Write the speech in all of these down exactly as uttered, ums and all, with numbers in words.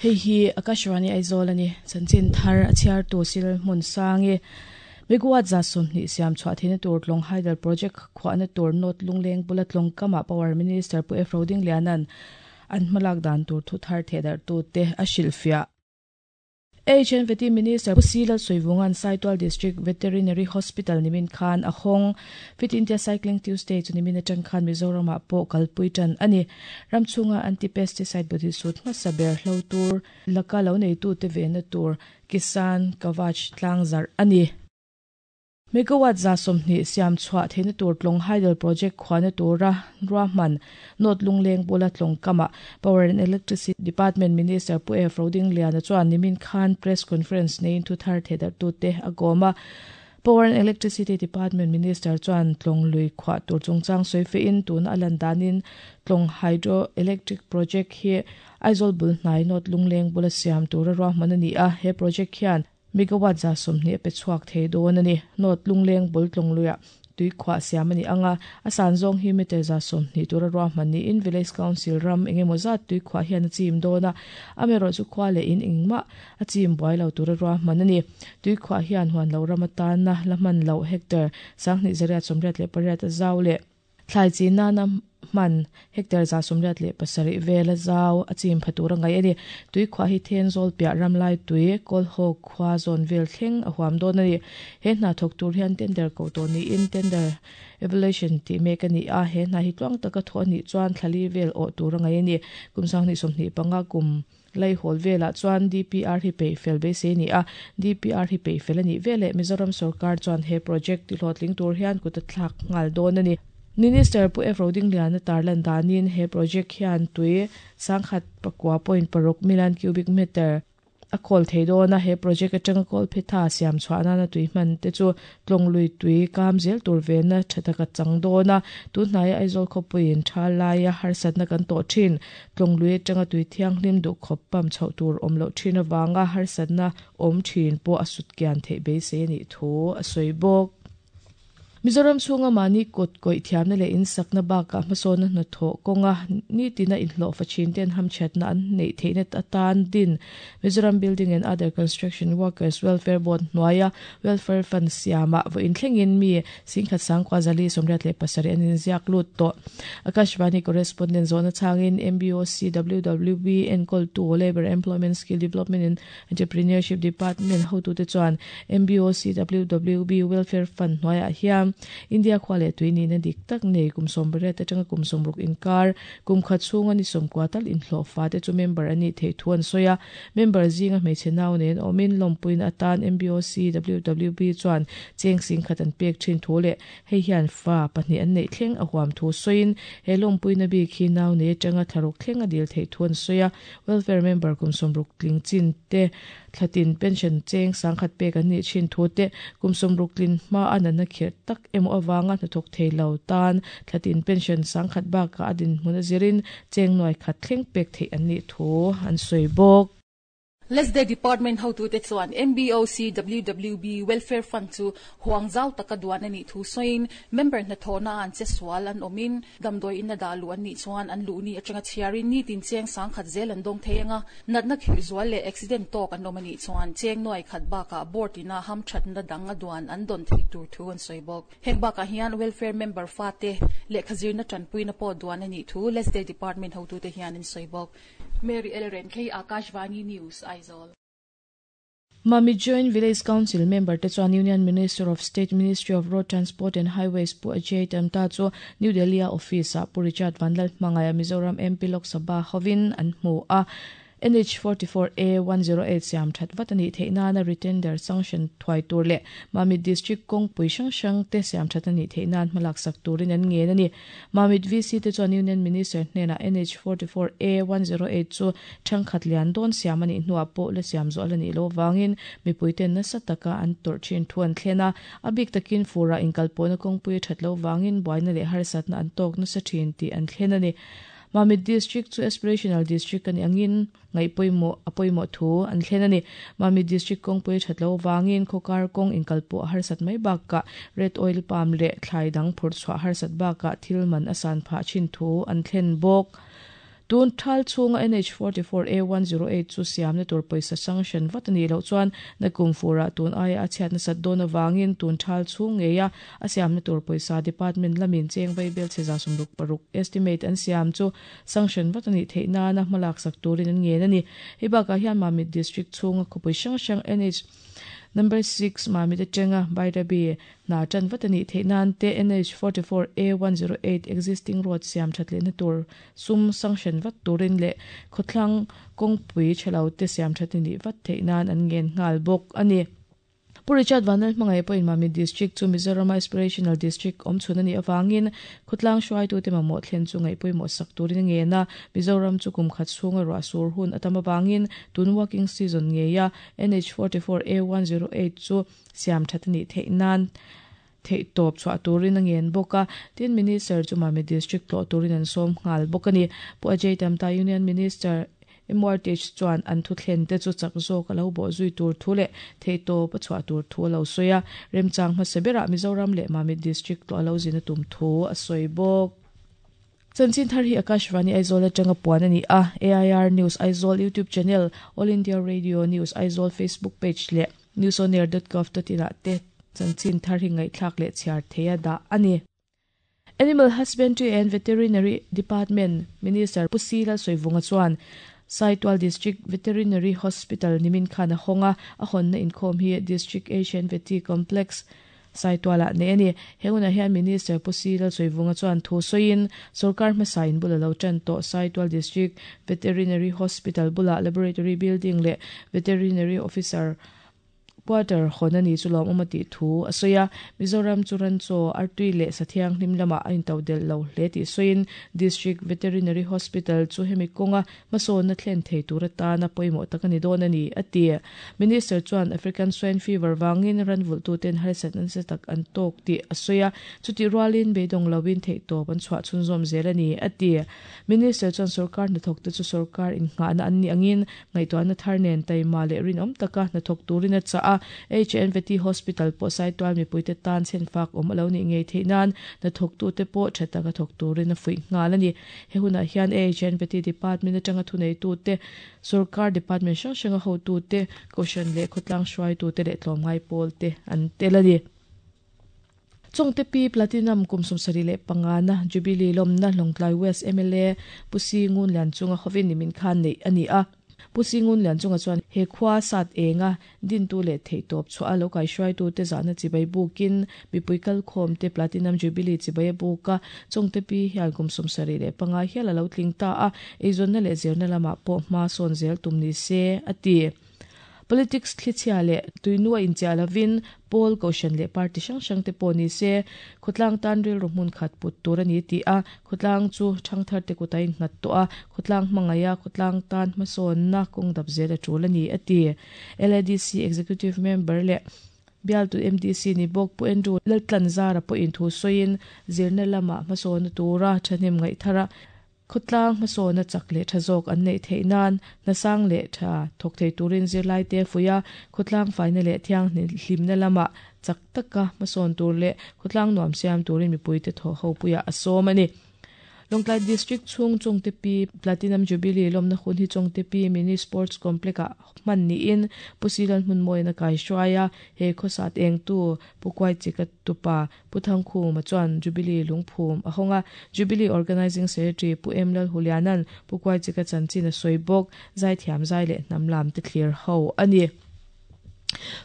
Hei hi Akashvani Aizawl ani chanchin thar a chhiar tu sil hmun sangi megawatt za sawmhnih siam chhuah theihna tur tlawng hydel project khuahna tur North Lungleng bula tlawng kama Power Minister Pu F Rodinglianan an hmalak dan tur thu thar thedar tu te a hrilhfiah. H N V T Minister Pu Sila Soivungan Saitual District Veterinary Hospital nimin khan a hawng. Fit India Cycling Tuesday chu nimin atang khan Mizoram ah pawh kalpui tan ani. Ramchhunga anti-pesticide body suit hmasa ber hlo tur laka lo nei tu te vena tur Kisan Kavach tlangzar ani. Megawatt za sawmhnih siam chhuah theihna tur tlawng hydel project khuahna tura ruahman North Lungleng bula tlawng kama Power and Electricity Department Minister Pu F Rodingliana chuan nimin khan press conference neiin thu thar thedar tu te a gawm a. Power and Electricity Department Minister chuan tlawng lui khuah tur chungchang sawi in tun a lan danin tlawng hydroelectric project hi Aizawl bul hnai North Lungleng bula siam tura ruahman ani a. He project hian megawatt za sawmhnih pe chhuak thei dawn ani. North Lungleng bul tlawng luiah tui khuah siam ani anga a san zawng hi meter za sawmhnih tura ruahman niin Village Council ram engemaw zat tui khuah hian a chim dawn a. Amaherawh chu khua leh in engmah a chim buai lo tura ruahman ani. Tui khuah hian huan lo ram atana la hman lo hectare sanghnih zariat sawmriat leh pariat a zau leh thlai chi nana man hectare za sawmriat leh pasarih vel a zau a chim pha tura ngai ani. Tui khuah hi then zawl piah ramlai tui kawlhaw khua zawn vel thleng a huam dawn ani. He hna thawk tur hian tender ko tawh niin tender evaluation tih mek ani a. He hna hi tluang taka thawh anih chuan thlali vel awh tura ngai ani. Kum sanghnih sawmhnih panga kum lai hawl velah chuan D P R hi pei fel beisei ni a. D P R hi pei fel ani vele Mizoram sarkar chuan he project ti hlawhtling tur hian kut a thlak nghal dawn ani. Minister Pu F Rodingliana tarlan danin he project hian tui sangkhat pakua point paruk million cubic meter a khawl thei dawn a. He project atanga kawl phetha siam chhuahna na tui hman te chu tlawng lui tui kam zel tur vena thataka chang dawn a. Tun hnaia Aizawl khawpuiin tha laia harsatna kan tawh thin tlawng lui atanga tui thianghlim duh khawp pam chhoh tur awm loh thin awanga harsatna awm thin pawh a sut kian theih beisei anih thu a sawi bawk. Mizoram chhunga mani kut kawih thiamna leh in sakna bakah hmasawnna hnathawh kawnga ni tina inhlawh fachin ten hamchhatna an neih theihna atan din Mizoram Building and Other Construction Workers Welfare Board hnuaia Welfare Fund siama vawiin thlengin mi singkhat sangkua zali sawmriat leh pasarih an inziak lut tawh. Akashvani correspondent zawhna changin M B O C W W B enkawl tu Labour Employment Skill Development and Entrepreneurship Department hotute chuan M B O C W W B Welfare Fund hnuaiah hian India khua leh tui nihna dik tak nei kum sawm pariat atanga kum sawmruk inkar kum khat chhunga ni sawmkua tal inhlawh fa te chu member ani thei thu an sawi a. Member zinga hmeichhe nau nen awmin lawmpuiin atan M B O C W W B chuan cheng sing khat an pek thin thu leh hei hian fa pahnih an neih thleng a huam thu sawiin he lawmpuina bik hi nau nei atanga thlaruk thleng a dil thei thu an sawi a. Welfare member kum sawmruk tling chin te thlatin pension cheng sangkhat pek an nih thin thu te kum sawmruk tlin hma a natna khirh tak emaw awanga hnathawk thei lo tan thlatin pension sangkhat bakah a dinhmun a zirin cheng nuai khat thleng pek theih an nih thu an sawi bawk. Lesday Department hotu te chuan M B O C W W B Welfare Fund chu huangzau taka duan ani thu soin member na thona an che swal an omin damdoi in na dalu an ni chuan an lu ni atanga chiarin ni tin cheng sang khat zel an dong theinga natna khir zual le accident tok an omani chuan cheng noi khat ba ka board ina ham that na danga duan an don thei tur thu an soibok heng ba ka hian welfare member fa te le khazir na tan puina po duan ani thu Lesday Department hotu te hian in soibok. Mary Ellen K Akashvani News, Aizawl. Mami Joint Village Council member te chuan Union Minister of State Ministry of Road Transport and Highways Pu Ajay Tamta chu New Delhi office a Pu Richard Vanlal hmangaya Mizoram M P Lok Sabha hovin an hmu a. N H forty-four A one zero eight siam that vatani theina na retender sanction thwai tur le Mamit district kong pui sang sang te siam thatani theina malak sak turin an nge ani. Mamit V C te chuan Union Minister hnena N H forty-four A one zero eight chu thangkhat lian don siam ani hnuah pawh la siam zo alani lo wangin mipuiten nasa taka an tor thin thuan thlena abik takin fura inkalpawna kong pui that lo wangin buaina leh harsatna an tok nasa thin ti an thlen ani. Mamit District chu Aspirational District ani angin ngai poimo apoimo thu an thlen ani. Mamit District kong pui thatlo wangin khokar kong inkalpo harsat mai bakka red oil palm le thlai dang phur chwa harsat bakka thilman asan pha chin thu an thlen bok. Tun thal chunga N H forty-four A one zero eight chu siam na tur poisa sanction vatani lo chuan na kumfura tun ai a chhiat na sat don awangin tun thal chung ngeya a siam na tur poisa department lamin cheng vai bel cheza sumruk paruk estimate an siam chu sanction vatani theina na hmalak sak turin an nge ani. Hei baka hian Mamit District chunga khopui hrang hrang N H number six Mamit atanga Bairabi na chan vatani theinan te N H forty-four A one zero eight existing road siam thatle na tur sum sanction vat turin le khothlang kongpui chhelo te siam thatini vat theinan an ngen ngal bok ani. Pu Richard Vanal hmangai pawhin Mamit District chu Mizoram Aspirational District awm chhun ani awangin khawtlang hruaitu te mamawh thlen chu ngaih pawimawh sak turin nge na Mizoram chu kum khat chhunga ruah sur hun atam awangin tun working season ngeia N H forty-four A one zero eight chu siam thatani theihnan thei tawp chhuah turin a ngen bawk a. Tin Minister chu Mamit District tlawh turin an sawm nghal bawk ani. Pu Ajay Tamta Union Minister M R T H chuan an thu thlen te chu chak zawk a lo bawh zui tur thu leh thei tawp a chhuah tur thu a lo sawi a. Remchang hmasa berah Mizoram leh Mamit District tlawh a lo zin a tum thu a sawi bawk. Chanchin thar hi Akashvani Aizawl atanga puan ani a. A I R News Aizawl YouTube channel, All India Radio News Aizawl Facebook page leh newsonair dot gov dot in ah te chanchin thar hi ngaihthlak leh chhiar theia dah ani. Animal Husbandry and Veterinary Department Minister Pu Sila Soivunga chuan Saitual District Veterinary Hospital nimin khan a honga a honna inkhawm hi District Asian Veti Complex Saituala ne ani. Henguna hian Minister Pu Sila Soivunga chuan thu sawiin sarkar hmasa in bula lo tan to Saitual District Veterinary Hospital bula Laboratory Building le Veterinary Officer quarter honani chulom umati thu asoya. Mizoram churan cho artui le sathiang hlimlama ain tawdel lo hle ti soin District Veterinary Hospital chu hemi konga maso na thlen thei tura ta na poimo takani don ani ati. Minister chuan African swine fever wangin ranvul tu ten harsat an se tak an tok ti asoya chuti rualin beidong lawin thei to ban chwa chunzom zelani ati. Minister chuan sarkar na thok te chu sarkar in nga na anni angin ngaitwa na tharnen taima le rinom taka na thok turin a cha H N V T Hospital po Saitual mi puite tan chen fak om alo ni ngei theinan na thok tu te po thata ka thok turin a fui ngal ani. He huna hian H N V T Department atanga thunei tu te sarkar department hrang hranga ho tu te koshan le khotlang hruai tu te le tlawmngai pawl te an tel ani. Chongte Pi Platinum kum sawmsarih leh panga na Jubilee lawmna Lawngtlai West M L A Pu Singun Lianchunga hovin nimin khan nei ani a. Pu Singun Lianchunga chuan he khua sat enga din tu le thei tawp chhuah a lo kai hruai tu te zahna chibai bukin mipui kal khawm te Platinum Jubilee chibai buka Chongte Pi hian kum sawmsarih leh panga hial a lo tling ta a. Eizawnna leh zirna lamah pawh hma sawn zel tum ni se ati. Politics thlichhia le tuinua inchia lovin pawl koshan le party hrang hrang te pawh ni se khawtlang tan rilru hmun khat put tur ani ti a. Khawtlang chu thangthar te kutain nghat tawh a. Khawtlang hmangaia khawtlang tan hmasawn na kawng dap zel a tul ani ati. L A D C Executive Member le bial tu M D C ni bawk Pu Andrew Laltlan Zara pawhin thu sawiin zirna lama hmasawn na tura thahnem ngaih thara khawtlang hmasawn na chak leh tha zawk an neih theih nan nasang leh tha thawk thei turin zirlai te fuia khawtlang faina leh thiang hlimna lama chak taka hmasawn tur leh khawtlang nuam siam turin mipui te thaw ho puia a sawm ani. Lawngtlai District chhung Chongte Pi Platinum Jubilee lawmna hun hi Chongte Pi Mini Sports Complex ah hman niin Pu Silal hmun mawina kai hruaia he khawsat eng tu Pu Kuai Chika tupa Pu Thangkhuma chuan Jubilee lungphum a hawnga. Jubilee Organizing Secretary Pu M Lal Hulianan Pu Kuai Chika chanchin a sawi bawk zai thiam zai leh hnam lam te thlir ho ani.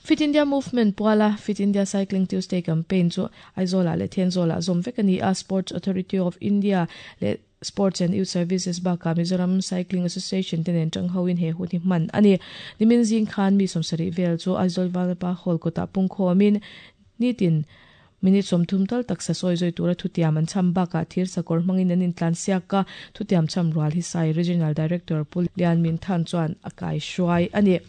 Fit India Movement puala Fit India Cycling Tuesday campaign chu Aizawl ah leh Thenzawl ah zawm vek ani a. Sports Authority of India le Sports and Youth Services baka Mizoram Cycling Association te nen tang hoin he hun hi hman ani. Nimin zing khan mi sawmsarih vel chu Aizawl Vanapa Hall kawtah pungkhawmin nitin minute sawmthum tal taksa sawi zui tura thutiam an cham bakah thir sakawr hmangin an intlan siak a. Thutiam cham rual hi Sai Regional Director Pu Lian Min Than chuan a kai hruai ani.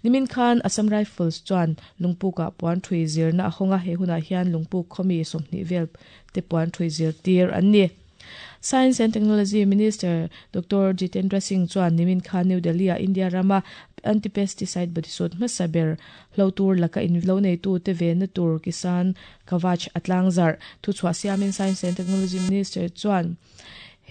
Nimin khan Assam Rifles chuan lungpuk ah puan thui zirna a hawnga. He hunah hian lungpuk khawmi sawmhnih vel te puan thui zir tir an ni. Science and Technology Minister Doctor Jitendra Singh chuan nimin khan New Delhi a India rama anti-pesticide bodysuit hmasaber hlo tur laka in lo nei tu te ve na tur Kisan Kavach atlang zar thu chhuah siamin Science and Technology Minister chuan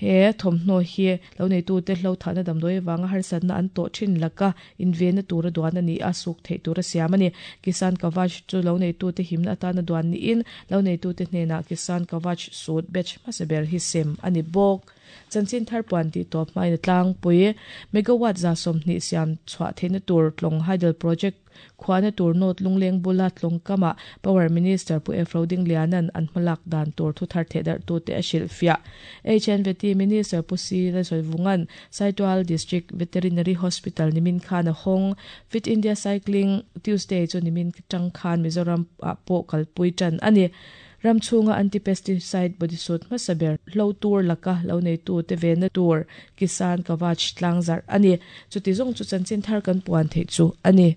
he thawmhnaw hi lo nei tu te hlo thahna damdawi wanga harsatna an tawh thin laka in ve na tur a duan ani a suk thei tur a siam ani. Kisan Kavach chu lo nei tu te himna atana duan ni in lo nei tu te hnena Kisan Kavach suit batch hmasaber hi sem ani bawk. Chanchin thar puan ti tawp hmain tlang pui megawatt za sawmhnih siam chhuah theihna tur tlawng hydel project khuana tur North Lungleng bula tlawng kama Power Minister Pu F Rodinglianan an hmalak dan tur thu thar theh tu te a hrilh fiah. H N V T Minister Pu C Lalsawivungan Saitual District Veterinary Hospital nimin khan a hawng. Fit India Cycling Tuesday chu nimin tang khan Mizoram ah pawh kalpui tan ani. Ramchhunga anti-pesticide bodysuit hmasaber hlo tur laka lo nei tu te ve na tur Kisan Kavach tlangzar ani. Chuti zawng chu chanchin thar kan puan thei chu ani.